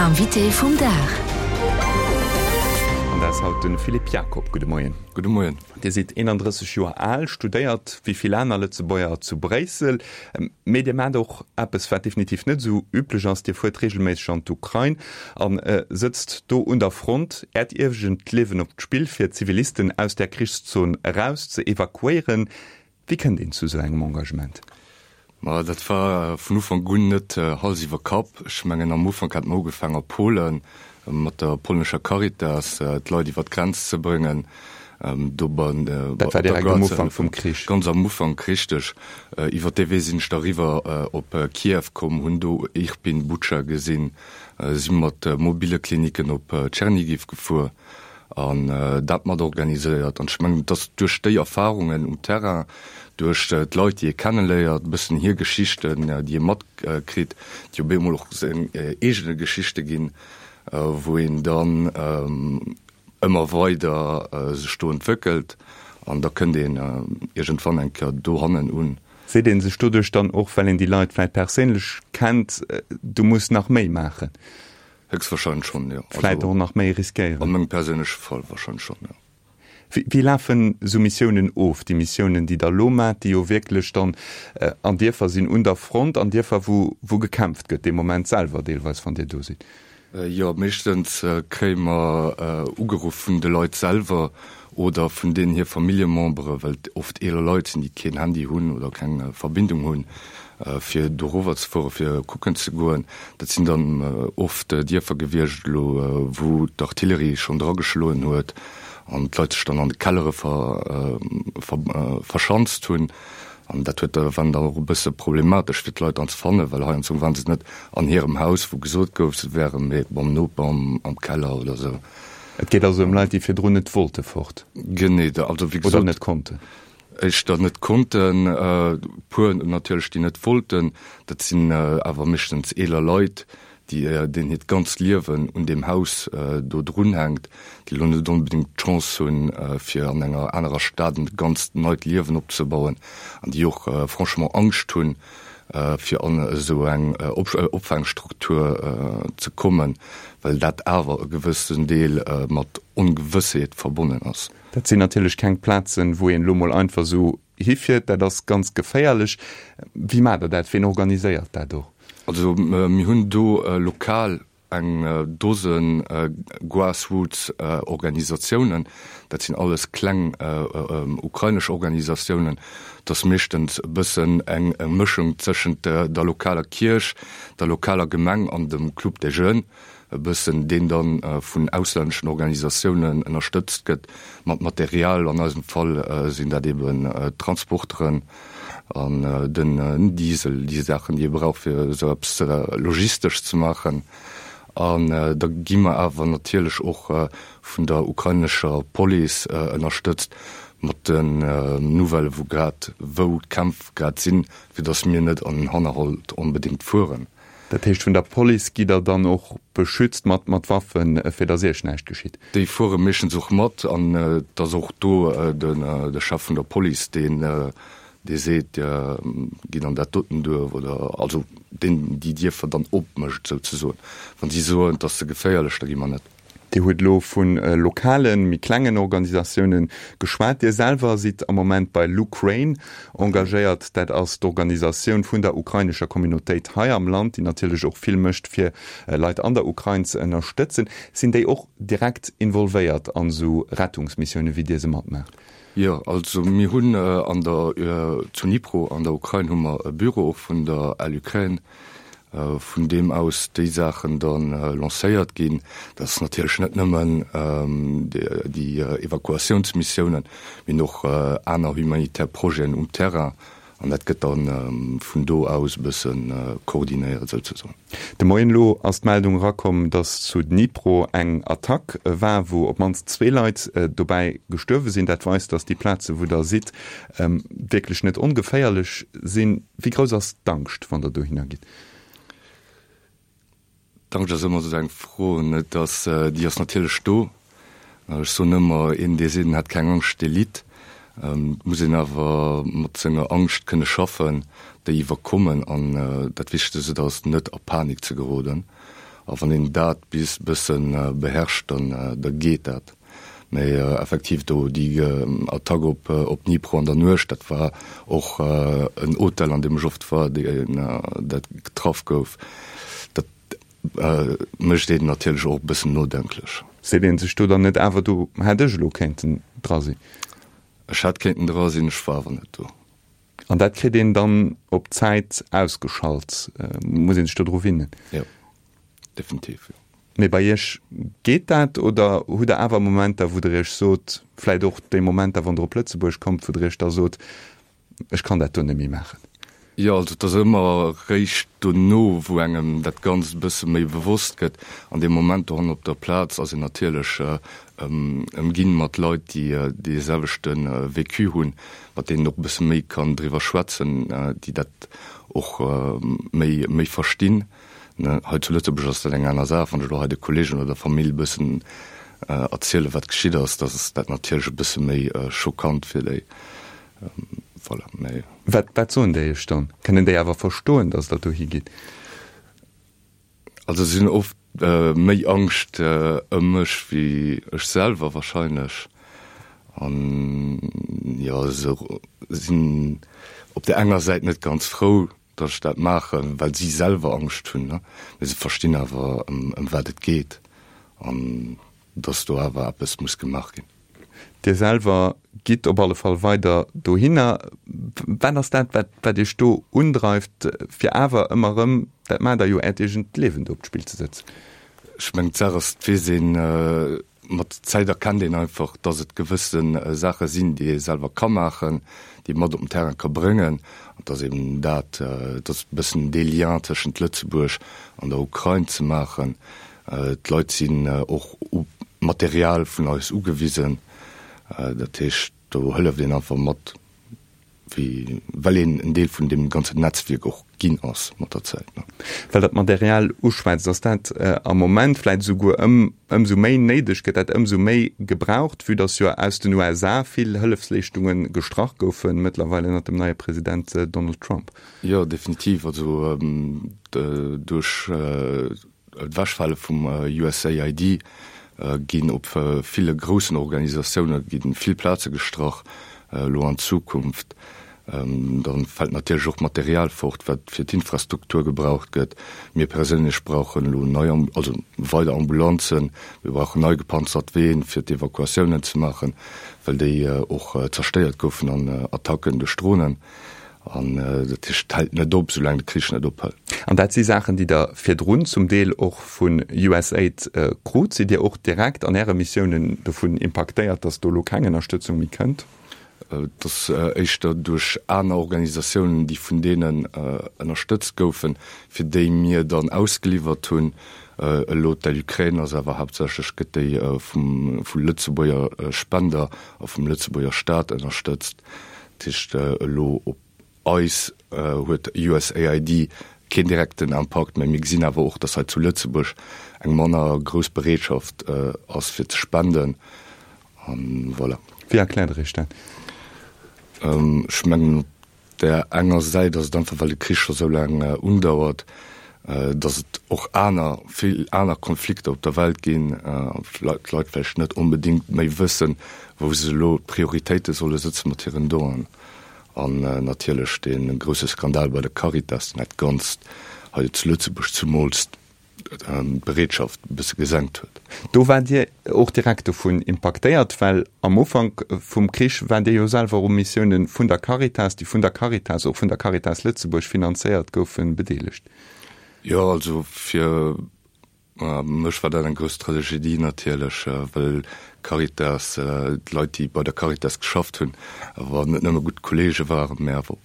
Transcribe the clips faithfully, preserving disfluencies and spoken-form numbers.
Invité vum Dag. An dat ass haut de Philippe Jacob. Gudde Moien. Gudde Moien. Dir sidd eenandrësseg Joer al, studéiert wéi vill aner Lëtzebuerger zu Bréissel, mee Dir maacht och eppes, wat definitiv net esou üblech ass, Dir fuert reegelméisseg an d'Ukrain a sëtzt do un der Front, Äert eegent Liewen op d'Spill, fir Zivilisten aus där Krichszon eraus ze evakuéieren. Wéi kënnt een zu esou engem Engagement? Ma dat war vun Ufank un net Hals iwwer Kapp. Ech mengen, am Ufank hat mer ugefaangen a Polen mat der polnescher Caritas d'Leit iwwer d'Grenz ze bréngen. Do bei Dat war direkt am Ufank vum Krich? Ganz am Ufank, richteg. Iwwer dee Wee sinn ech da eriwwer op Kiew komm, hunn do Irpin, Butscha gesinn, si mat mobile Klinicken op Tschernigiw gefuer. an dat mat organiséiert. An ech mengen, et ass duerch déi Erfahrungen um Terrain, duerch d'Leit, déi ee kenneléiert, e bëssen hir Geschichten, déi ee matkritt, déi op eemol och seng eegene Geschichte ginn, wou een dann ëmmer weider sech do entwéckelt an da kënnt een iergendwann eng Kéier dohannen un. Seet ee sech doduerch dann och, well een déi Leit vläicht perséinlech kennt, du muss nach méi maachen? Héchstwahrscheinlech schonn, jo. Vläit och nach méi riskéieren? An mengem perséinleche Fall wahrscheinlech schonn, jo. Wéi lafen esou Missiounen of, déi Missiounen, déi Der elo maacht, déi jo wierklech dann an Dierfer sinn, un der Front, an Dierfer, wou wou gekämpft gëtt, dee Moment selwer deelweis, wann Dir do sidd? Jo, meeschtens kréie mer ugeruff vun de Leit selwer oder vun deenen hir Familljemembere, well et oft eeler Leit sinn, déi keen Handy hunn oder keng Verbindung hunn, fir dorower ze fueren, fir kucken ze goen. Dat sinn dann oft Dierfer gewiescht elo, wou d'Artillerie schonn drageschloen huet an d'Leit sech dann an de Kellere verschanzt hunn. An dat huet war dann och e bësse problematesch, fir d'Leit dann ze fannen, well heiansdo waren se net an hirem Haus, wou gesot gouf, se wären, mee beim Noper am Keller oder esou. Et geet also ëm Leit, déi virdrun net wollte fort. Genee, also wéi gesot. Oder net konnten. Éischter net konnten, e puer natierlech, déi net wollten. Dat sinn awer meeschtens eeler Leit, déi, deenen hiert ganzt Liewen un deem Haus do drunhänkt, déi elo net onbedéngt d'Chance hunn, fir an enger anerer Stad e ganzt neit Liewen opzebauen an déi och franchement Angscht hunn, fir an esou eng Opfaangstruktur ze kommen, well dat awer e gewëssen Deel mat Ongewëssheet verbonnen ass. Dat sinn natierlech keng Plazen, wou een elo mol einfach esou hifiert. Dat ass ganz geféierlech. Wéi maacht Der dat? Ween organiséiert dat och? Also mir hunn do lokal eng Dose Grassroots-Organisatiounen. Dat sinn alles kleng ukrainesch Organisatiounen. Dat ass meeschtens e bëssen eng Mëschung tëschent der lokaler Kierch, der lokaler Gemeng an dem Club des Jeunes e bëssen, deen da vun auslänneschen Organisatiounen ënnerstëtzt gëtt mat Material. An eisem Fall sinn dat eben d'Transporteren an den Diesel, déi Saachen, déi ee brauch, fir esou eppes logistesch ze maachen. An da gi mer awer natierlech och vun der ukrainescher Police ënnerstëtzt mat den Nouvellë wou grad, wou d'Kämpf grad sinn, fir datt mir net an den Hannerhalt onbedéngt fueren. Dat heescht, vun der Police gitt Der dann och beschützt mat mat Waffen, fir datt Iech näischt geschitt? Déi fuere meeschtens och mat an et ass och do de Chef vun der Police, deen dee seet, Gitt an dat doten Duerf oder also deen déi Dierfer dann opmécht souzesoen. Wann si soen, et ass ze geféierlech, da gi mer net. Dir hutt elo vu lokalen, méi klengen Organisatioune geschwat. Dir selwer sidd am Moment bei LUkraine engagéiert. Dat ass d'Organisatioun vun der ukrainescher Communautéit hei am Land, déi natierlech och vill mécht, fir Leit an der Ukrain ze ënnerstëtzen. Sinn déi och direkt involvéiert an esou Rettungsmissioune wéi Dir se matmaacht? Jo, also mir hunn an der, zu Dnipro an der Ukrain hu mer e Büro och vun der LUkraine, vun deem aus déi Saachen da lancéiert ginn. Dat ass natierlech net nëmmen déi Evakuatiounsmissiounen, mee hunn och aner humanitär Projeten um Terrain an dat gëtt da vun do aus e bësse koordinéiert souzesoen. De Moien elo ass d'Meldung erakomm, datt zu Dnipro eng Attack war, wou op d'mannst zwee Leit dobäi gestuerwe sinn. Dat weist, datt déi Plaze wou der sidd wierklech net ongeféierlech sinn. Wéi grouss ass d'Angscht, wann der dohinner gitt? D'Angscht ass ëmmer esou eng Fro, net? Dass, déi ass natierlech do. Ech soen ëmmer, een dee seet en hätt keng Angscht, dee litt. Et muss een awer mat senger Angscht kënne schaffen, déi iwwerkommen. An dat Wichtegst ass, net a Panik ze geroden. A wann een dat bis bësse beherrscht, dann da geet dat. Mee effektiv do déi Attack op op Dnipro an der Nuecht, dat war och en Hotel, an deem ech oft war, deen dat getraff gouf. Dat mécht een natierlech och e bëssen nodenklech. Seet een sech do dann net awer, do hätt ech elo kéinten dra sinn? Ech hätt kéinten dra sinn, ech war awer net do. An dat kritt een dann op Zäit ausgeschalt, muss een sech do dru winnen? Jo, definitiv, jo. Mee bei Iech geet dat oder hutt Der awer Momenter, wou Der Iech sot, vläicht och déi Momenter, wann Der op Lëtzebuerg kommt, wou Der Iech da sot, ech kann dat do net méi maachen? Jo, also et ass ëmmer eréischt dono, wou engem dat Ganzt e bësse méi bewosst gëtt. An deem Moment dohannen op der Plaz ass een natierlech ëmginn mat Leit, déi dee selwechte Vécu hunn, mat deenen een och e bësse méi kann driwwer schwätzen, déi dat och méi méi verstinn. Hei zu Lëtzebuerg ass dat eng aner Saach. Wann ech elo hei de Kolleegen oder der Famill e bëssen erzielen, wat geschitt ass, da ass dat natierlech e bësse méi schockant fir déi. Voilà, mee. Wat, wat soen déi iech dann? Kënnen déi awer verstoen, dass Der dohi gitt? Also si hunn oft méi Angscht ëm mech wéi ech selwer wahrscheinlech. An jo, se sinn op där enger Säit net ganz frou, datt ech dat maachen, well si selwer Angscht hunn, ne? Mee se verstinn awer, ëm wat et geet an datt do awer eppes muss gemaach ginn. Dir selwer gitt op alle Fall weider dohinner. Wat ass dat, wat, wat Iech do undreift, fir awer ëmmer erëm, dat maacht Der jo, Äert eegent Liewen do op d'Spill ze setzen? Ech mengen, d'Saach ass, et weess een, mat der Zäit erkennt een einfach, dass et gewësse Saache sinn, déi ee selwer ka maachen, déi ee mat op den Terrain ka bréngen. An et ass eben dat, et ass e bëssen dee Lien tëschent Lëtzebuerg an der Ukrain ze maachen. D'Leit sinn och u Material vun eis ugewisen. Dat heescht, do hëlleft een einfach mat, wéi well een en Deel vun deem ganzen Netzwierk och ginn ass mat der Zäit. Well Der d'Material uschwätzt, ass dat am Moment vläicht esouguer ëm ëmsou méi néideg, gëtt dat ëmsou méi gebraucht, vue dass jo aus den U S A vill Hëllefsleeschtunge gestrach goufen, mëttlerweil ënnert dem neie President Donald Trump? Jo, definitiv. Also duerch D'Ewechfale vum U S A I D ginn op ville groussen Organisatioune gi vill Plaze gestrach elo an Zukunft. Da fält natierlech och Material fort, wat fir d'Infrastruktur gebraucht gëtt. Mir perséinlech brauchen elo nei, also weider Ambulanzen, mir brauchen nei gepanzert Ween, fir d'Evakuatiounen ze maachen, well déi och zerstéiert goufen an Attacken duerch Dronen. An dat heescht, et hält net op, soulaang de Krich net ophält. An dat si Saachen, déi Der virdrun zum Deel och vun USAID krut. Sidd Dir och direkt an Äre Missiounen dovun impaktéiert, datt do elo keng Ënnerstëtzung méi kënnt? Et ass éischter duerch aner Organisatiounen, déi vun deenen ënnerstëtzt goufen, fir déi mir dann ausgeliwwert hunn. Elo d'Aide Ukraine ass awer haaptsächlech gëtt déi vum vu Lëtzebuerger Spender a vum Lëtzebuerger Staat ënnerstëtzt. Dat heescht, elo op eis huet U S A I D keen direkten Impakt, mä mir gesinn awer och, datt hei zu Lëtzebuerg eng manner grouss Bereetschaft ass fir ze spenden. An voilà. Wéi erkläert Der Iech dat? Ech mengen, op där enger Säit ass et einfach, well de Krich scho sou laang undauert, datt et och aner, vill aner Konflikter op der Welt ginn, d'Leit vläicht net onbedéngt méi wëssen, wou se elo d'Prioritéite solle sëtze mat hiren Donen. An natierlech dee grousse Skandal bei der Caritas, deen dat Ganzt hei zu Lëtzebuerg zumools d'Bereetschaft e bësse gesenkt huet. Do waart Dir och direkt dovun impaktéiert, well am Ufank vum Krich waart Dir jo selwer u Missioune vun der Caritas, déi vun der Caritas, och vun der Caritas Lëtzebuerg finanzéiert goufen, bedeelegt. Jo, also fir mech war dat eng grouss Tragedie natierlech, well Caritas, d'Leit, déi bei der Caritas geschafft hunn, awer net nëmme gutt Kollege waren, mä awer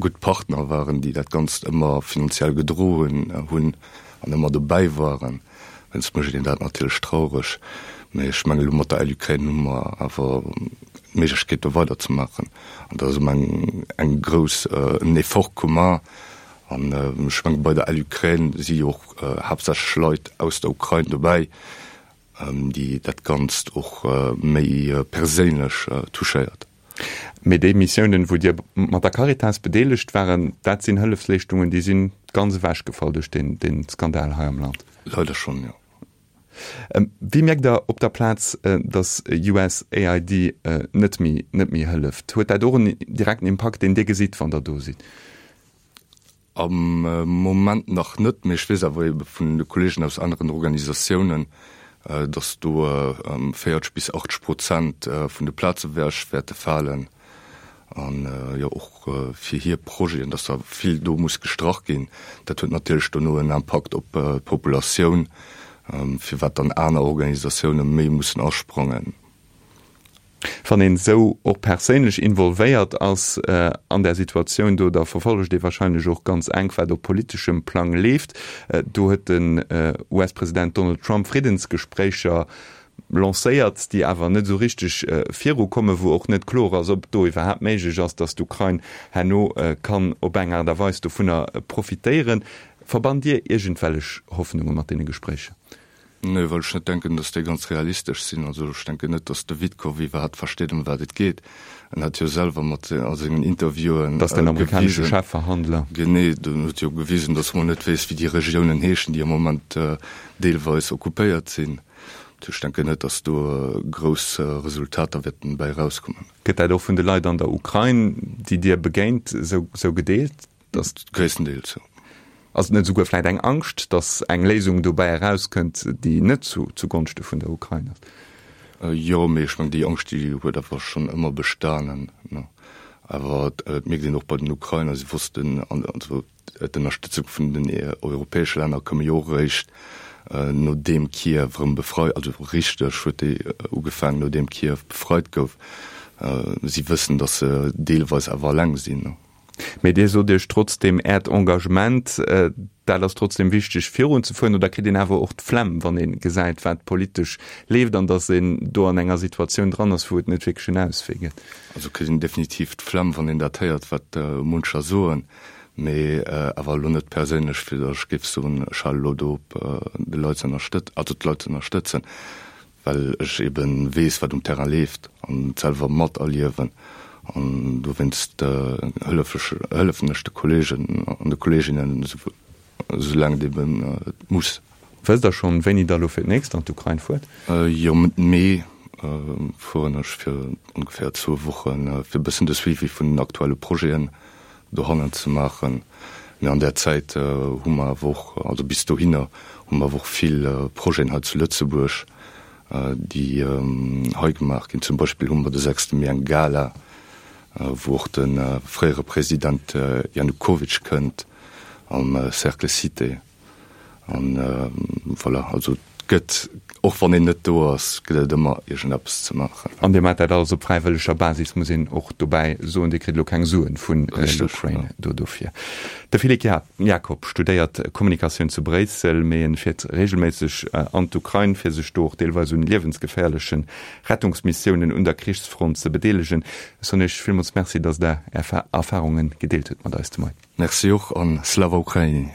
gutt Partner waren, déi dat Ganzt ëmmer finanziell gedroen hunn an ëmmer dobäi waren. Dowéinst mécht een dat natierlech traureg. Mä ech mengen, elo mat der LUkraine hu mer awer d'Méiglechkeet, do weiderzemaachen. An dat ass ëmmer eng, eng grouss, en Effort commun. An ech mengen, bei der LUkraine si jo och haaptsächlech Leit aus der Ukrain dobäi, déi dat Ganzt och méi perséinlech touchéiert. Mee déi Missiounen, wou Dir mat der Caritas bedeelegt waren, dat sinn Hëllefsleeschtungen, déi si ganz ewechgefall duerch deen, deen Skandal hei am Land. Leider schonn, jo. Wéi mierkt Der op der Plaz, datt USAID net méi, net méi hëlleft? Huet dat och en direkten Impakt, deen Dir gesitt, wann Der do sidd? Am Moment nach net, mee ech weess awer ebe vun de Kolleegen aus aneren Organisatiounen, datt do véierzeg bis achtzeg Prozent vun de Plaze ewech wäerte falen. An jo och fir hir Projeten, datt da vill do muss gestrach ginn. Dat huet natierlech dono en Impakt op d'Populatioun, firwat dann aner Organisatioune méi mussen asprangen. Wann een esou och perséinlech involvéiert ass an där Situatioun do, da verfollegt ee wahrscheinlech och ganz enk, wat op politeschem Plang leeft. Do huet den US-President Donald Trump Friddensgespréicher lancéiert, déi awer net esou richteg virukommen, wou och net kloer ass, ob et do iwwerhaapt méiglech ass, datt d'Ukrain herno kann op eng Aart a Weis dovunner profitéieren. Verbannt Dir iergendwellech Hoffnunge mat deene Gespréicher? Nee, well ech net denken, datt déi ganz realistesch sinn. Also ech denken net, datt de Witkoff iwwerhaapt versteet, ëm wat et geet. En hat jo selwer mat a sengen Interviewen Dat ass den amerikanesche Chefverhandler. Genee, den huet jo gewisen, datt en mol net weess, wéi déi Regiounen heeschen, déi am Moment deelweis occupéiert sinn. Ech denken net, datt do grouss Resultater wäerten bäi erauskommen. Gëtt dat och vun de Leit an der Ukrain, déi Dir begéint, esou gedeelt, datt. Gréisstendeels, jo. Ass et net esouguer vläit eng Angscht, datt eng Léisung dobäi erauskënnt, déi net zu Gonschte vun der Ukrain ass? Jo, mee ech mengen, déi Angscht, déi huet awer schonn ëmmer bestanen. Awer et mierkt een och bei den Ukrainer, si wossten, also d'Ënnerstëtzung vun den europäesche Länner koum jo och eréischt nodeem Kiew erëm befreit, also richteg huet déi ugefaangen, nodeem Kiew befreit gouf. Si wëssen, datt se deelweis awer eleng sinn. Mee Dir sot Iech trotzdem, Äert Engagement, dat ass trotzdem wichteg virunzefueren, oder kritt een awer och d'Flemm, wann ee gesäit, wat politesch leeft an datt een do an enger Situatioun dran ass, wou et net wierklech en Auswee gëtt? Also kritt een definitiv d'Flemm, wann een dat héiert, wat muncher soen. Mee awer elo net perséinlech, fir datt ech géif soen, ech hale elo do op, de Leit ze ënnerstëtzen, also d'Leit ze ënnerstëtzen, well ech ebe weess, wat um Terrain leeft an et selwer materliewen. An dowéinst hëllef ech, hëllefen ech de Kolleegen an de Kolleeginnen, esoulaang et ebe muss. Wësst Der schonn, wéini Der elo fir d'nächst an d'Ukrain fuert? Jo, Mëtt Mee fueren ech fir ongeféier zwou Wochen, fir e bëssen de Suivi vun den aktuelle Projeten dohannen ze maachen. Mee an där Zäit hu mer awer och, also bis dohinner hu mer awer och vill Projeten hei zu Lëtzebuerg, déi hei gemaach ginn. Zum Beispill hu mer de sechste Mee eng Gala, wou och de fréiere President Janukowytsch kënnt am Cercle Cité. An voilà, also et gëtt, och wann een net do ass, gëtt et ëmmer iergendeppes ze maachen. An Dir maacht dat alles op fräiwëlleger Basis, muss een och dobäi soen. Dir kritt elo keng Suen vun Luxrain do dofir. De Philippe Jacob studéiert Kommunikatioun zu Bréissel, mee en fiert reegelméisseg an d'Ukrain, fir sech do och deelweis un liewensgeféierleche Rettungsmissiounen un der Krichsfront ze bedeelegen. Ech soen Iech villmools Merci, datt Der Är Erfarunge gedeelt hutt mat eis de Moien. Merci och an Slava Ukraini!